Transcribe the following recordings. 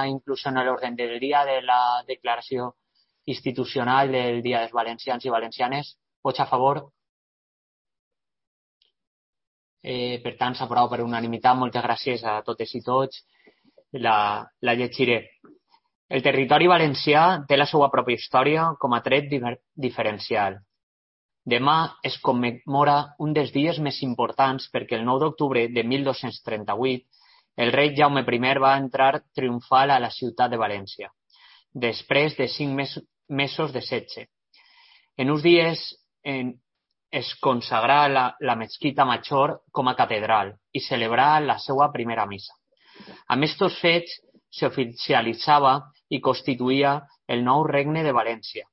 incluso en el orden del día de la declaració institucional del Dia dels Valencians i Valencianes. Vots a favor? Per tant, s'aprova per unanimitat. Moltes gràcies a totes i tots. La llegiré. El territori valencià té la seva pròpia història com a tret diferencial. Demà es commemora un dels dies més importants perquè el 9 d'octubre de 1238 el rei Jaume I va entrar triomfal a la ciutat de València, després de 5 mesos de setge. En uns dies es consagrà la mesquita Major com a catedral i celebrà la seva primera missa. Amb aquests fets s'oficialitzava i constituïa el nou regne de València.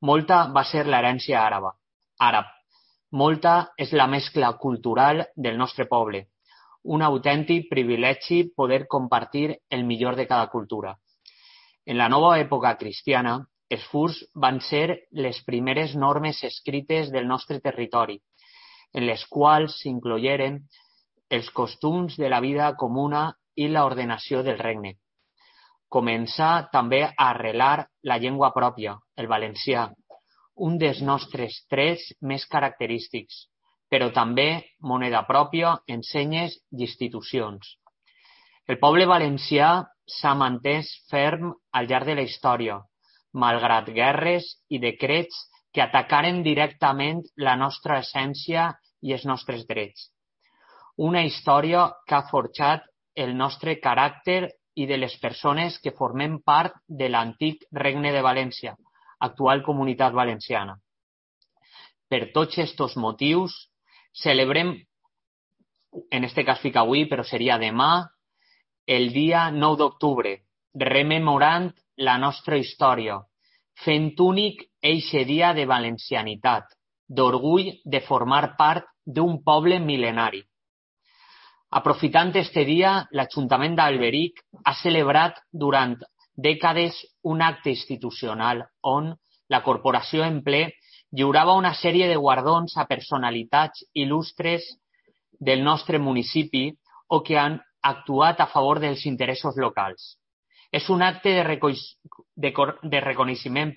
Molta va ser l'herència àrab. Molta és la mescla cultural del nostre poble. Un autèntic privilegi poder compartir el millor de cada cultura. En la nova època cristiana, els furs van ser les primeres normes escrites del nostre territori, en les quals s'incloïren els costums de la vida comuna i l'ordenació del regne. Començà també a arrelar la llengua pròpia, el valencià, un dels nostres trets més característics, però també moneda pròpia, ensenyes i institucions. El poble valencià s'ha mantès ferm al llarg de la història, malgrat guerres i decrets que atacaren directament la nostra essència i els nostres drets. Una història que ha forjat el nostre caràcter i de les persones que formem part de l'antic Regne de València, actual Comunitat Valenciana. Per tots aquests motius, celebrem, en este cas fica avui, però seria demà, el dia 9 d'octubre, rememorant la nostra història, fent únic eixe dia de valencianitat, d'orgull de formar part d'un poble mil·lenari. Aprofitant este dia, l'Ajuntament d'Alberic ha celebrat durant dècades un acte institucional on la corporació en ple lliurava una sèrie de guardons a personalitats il·lustres del nostre municipi o que han actuat a favor dels interessos locals. És un acte de reconeixement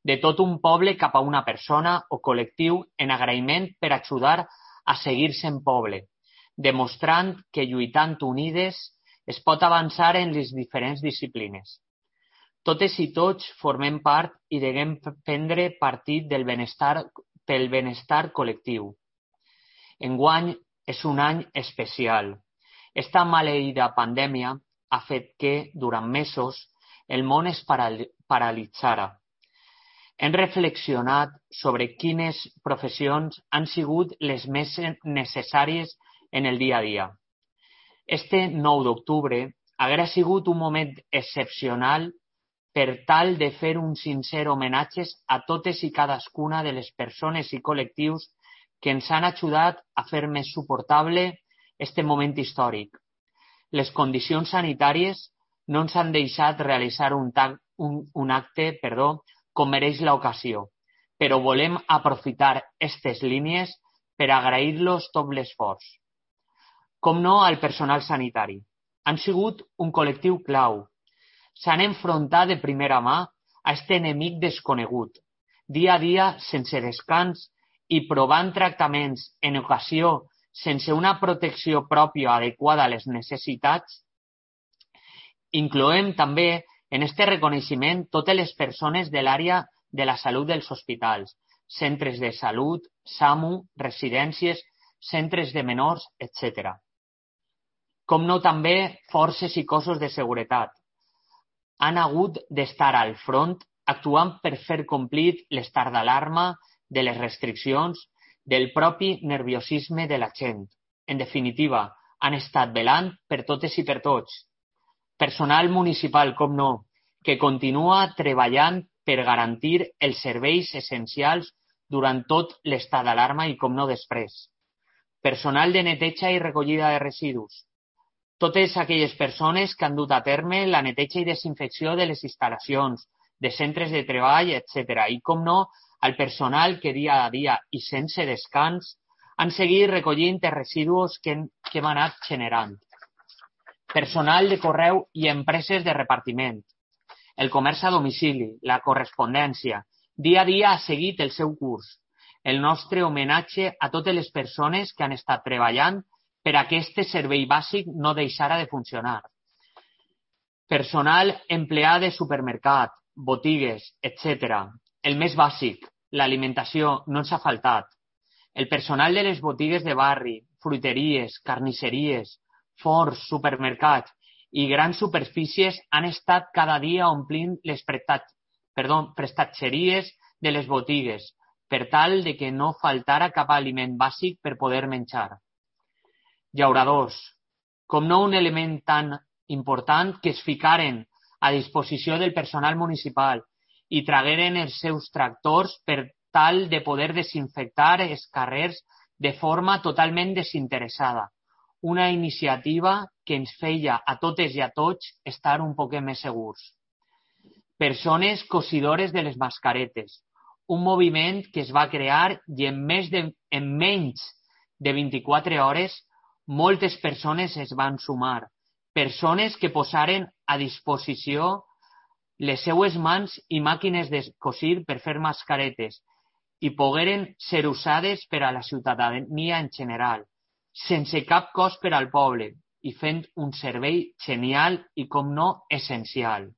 de tot un poble cap a una persona o col·lectiu en agraïment per ajudar a seguir sent poble, demostrant que lluitant unides es pot avançar en les diferents disciplines. Totes i tots formem part i deguem prendre partit pel benestar col·lectiu. Enguany és un any especial. Esta maleïda pandèmia ha fet que, durant mesos, el món es paralitzara. Hem reflexionat sobre quines professions han sigut les més necessàries en el dia a dia. Este 9 d'octubre haguera sigut un moment excepcional per tal de fer un sincer homenatge a totes i cadascuna de les persones i col·lectius que ens han ajudat a fer més suportable este moment històric. Les condicions sanitàries no ens han deixat realitzar un acte com mereix l'ocasió, però volem aprofitar aquestes línies per agrair-los tot l'esforç. Com no al personal sanitari. Han sigut un col·lectiu clau. S'han enfrontat de primera mà a aquest enemic desconegut, dia a dia sense descans i provant tractaments en ocasió sense una protecció pròpia adequada a les necessitats. Incloem també en aquest reconeixement totes les persones de l'àrea de la salut dels hospitals, centres de salut, SAMU, residències, centres de menors, etc. Com no també forces i cossos de seguretat. Han hagut d'estar al front actuant per fer complir l'estat d'alarma, de les restriccions, del propi nerviosisme de la gent. En definitiva, han estat velant per totes i per tots. Personal municipal, com no, que continua treballant per garantir els serveis essencials durant tot l'estat d'alarma i, com no, després. Personal de neteja i recollida de residus. Totes aquelles persones que han dut a terme la neteja i desinfecció de les instal·lacions, de centres de treball, etc. I, com no, al personal que dia a dia i sense descans han seguit recollint els residus que hem anat generant. personal de correu i empreses de repartiment, el comerç a domicili, la correspondència. Dia a dia ha seguit el seu curs. El nostre homenatge a totes les persones que han estat treballant per a que aquest servei bàsic no deixara de funcionar. Personal empleat de supermercat, botigues, etc. El més bàsic, l'alimentació, no ens ha faltat. El personal de les botigues de barri, fruiteries, carnisseries, forns, supermercats i grans superfícies han estat cada dia omplint les prestatgeries de les botigues per tal de que no faltara cap aliment bàsic per poder menjar. Llauradors, com no un element tan important que es ficaren a disposició del personal municipal i tragueren els seus tractors per tal de poder desinfectar els carrers de forma totalment desinteressada. Una iniciativa que ens feia a totes i a tots estar un poc més segurs. Persones cosidores de les mascaretes, un moviment que es va crear i en menys de 24 hores moltes persones es van sumar. Persones que posaren a disposició les seues mans i màquines de cosir per fer mascaretes i pogueren ser usades per a la ciutadania en general, sense cap cost per al poble i fent un servei genial i, com no, essencial.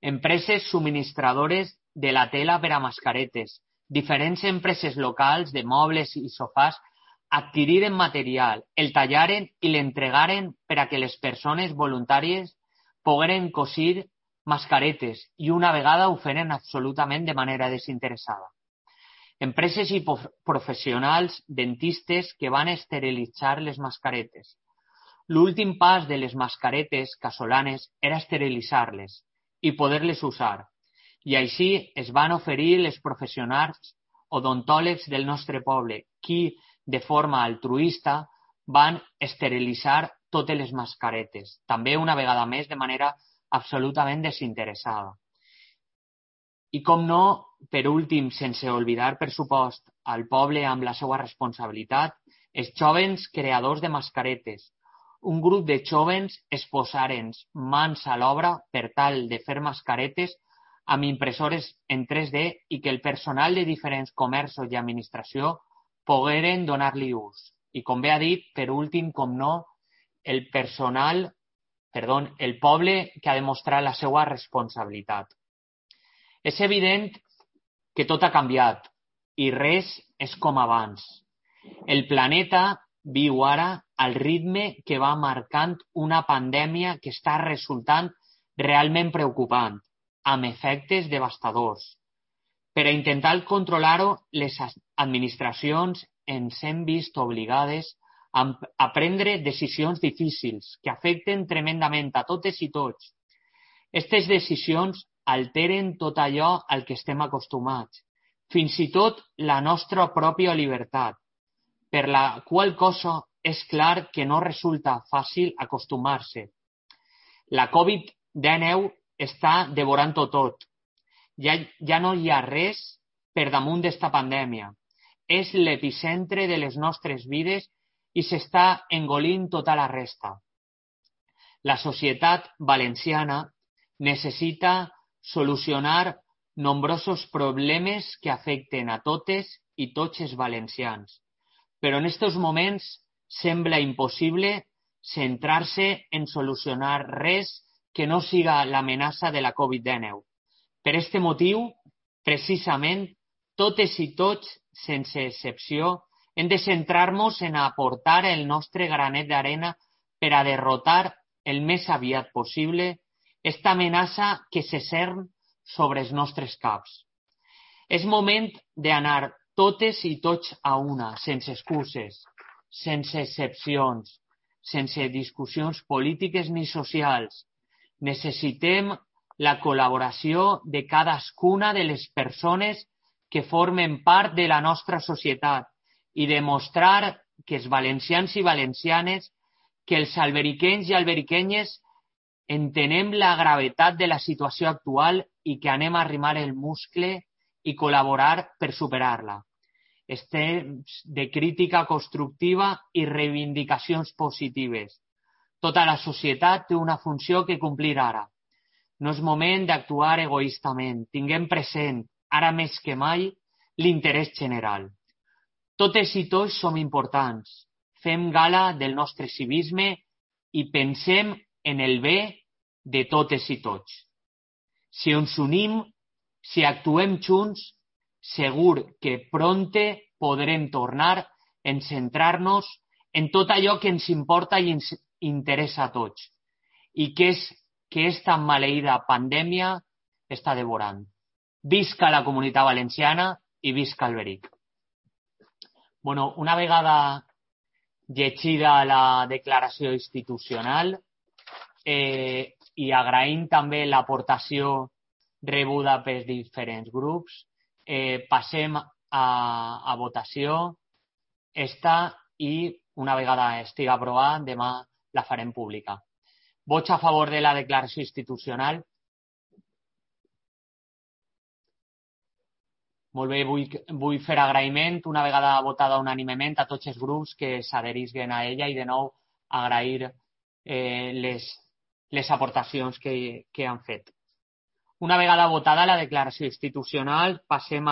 Empreses subministradores de la tela per a mascaretes, diferents empreses locals de mobles i sofàs adquiriren material, el tallaren i l'entregaren per a que les persones voluntàries pogueren cosir mascaretes i una vegada ho feren absolutament de manera desinteressada. Empreses i professionals dentistes que van esterilitzar les mascaretes. L'últim pas de les mascaretes casolanes era esterilitzar-les i poder-les usar. I així es van oferir les professionals odontòlegs del nostre poble, qui, de forma altruista, van esterilitzar totes les mascaretes, també una vegada més de manera absolutament desinteressada. I com no, per últim, sense oblidar, per supost, al poble amb la seva responsabilitat, els jovens creadors de mascaretes. Un grup de jovens es posaren mans a l'obra per tal de fer mascaretes amb impressores en 3D i que el personal de diferents comerços i administració pogueren donar-li ús. I com bé ha dit, per últim, com no, el poble que ha demostrat la seva responsabilitat. És evident que tot ha canviat i res és com abans. El planeta viu ara al ritme que va marcant una pandèmia que està resultant realment preocupant, amb efectes devastadors. Per a intentar controlar-ho, les administracions ens hem vist obligades a prendre decisions difícils que afecten tremendament a totes i tots. Aquestes decisions alteren tot allò al que estem acostumats, fins i tot la nostra pròpia llibertat, per la qual cosa és clar que no resulta fàcil acostumar-se. La Covid-19 està devorant-ho tot. Ja no hi ha res per damunt d'esta pandèmia. És l'epicentre de les nostres vides i s'està engolint tota la resta. La societat valenciana necessita solucionar nombrosos problemes que afecten a totes i tots els valencians. Però en aquests moments sembla impossible centrar-se en solucionar res que no siga l'amenaça de la Covid-19. Per aquest motiu, precisament, totes i tots, sense excepció, hem de centrar-nos en aportar el nostre granet d'arena per a derrotar el més aviat possible esta amenaça que se cern sobre els nostres caps. És moment d'anar totes i tots a una, sense excuses, sense excepcions, sense discussions polítiques ni socials. Necessitem la col·laboració de cadascuna de les persones que formen part de la nostra societat i demostrar que els valencians i valencianes, que els alberiquenys i alberiquenyes entenem la gravetat de la situació actual i que anem a arrimar el muscle i col·laborar per superar-la. És temps de crítica constructiva i reivindicacions positives. Tota la societat té una funció que complir ara. No és moment d'actuar egoistament. Tinguem present, ara més que mai, l'interès general. Totes i tots som importants. Fem gala del nostre civisme i pensem en el bé de totes i tots. Si ens unim, si actuem junts, segur que prompte podrem tornar a centrar-nos en tot allò que ens importa i ens interessa a tots i que esta maleïda pandèmia està devorant. Visca la Comunitat Valenciana i visca Alberic. Bueno, una vegada llegida la declaració institucional i agraint també l'aportació rebuda pels diferents grups, passem a votació esta i una vegada estigui aprovada, demà la farem pública. Vots a favor de la declaració institucional? Molt bé, vull fer agraïment una vegada votada unànimement a tots els grups que s'adherisquen a ella i de nou agrair les aportacions que han fet. Una vegada votada la declaració institucional, passem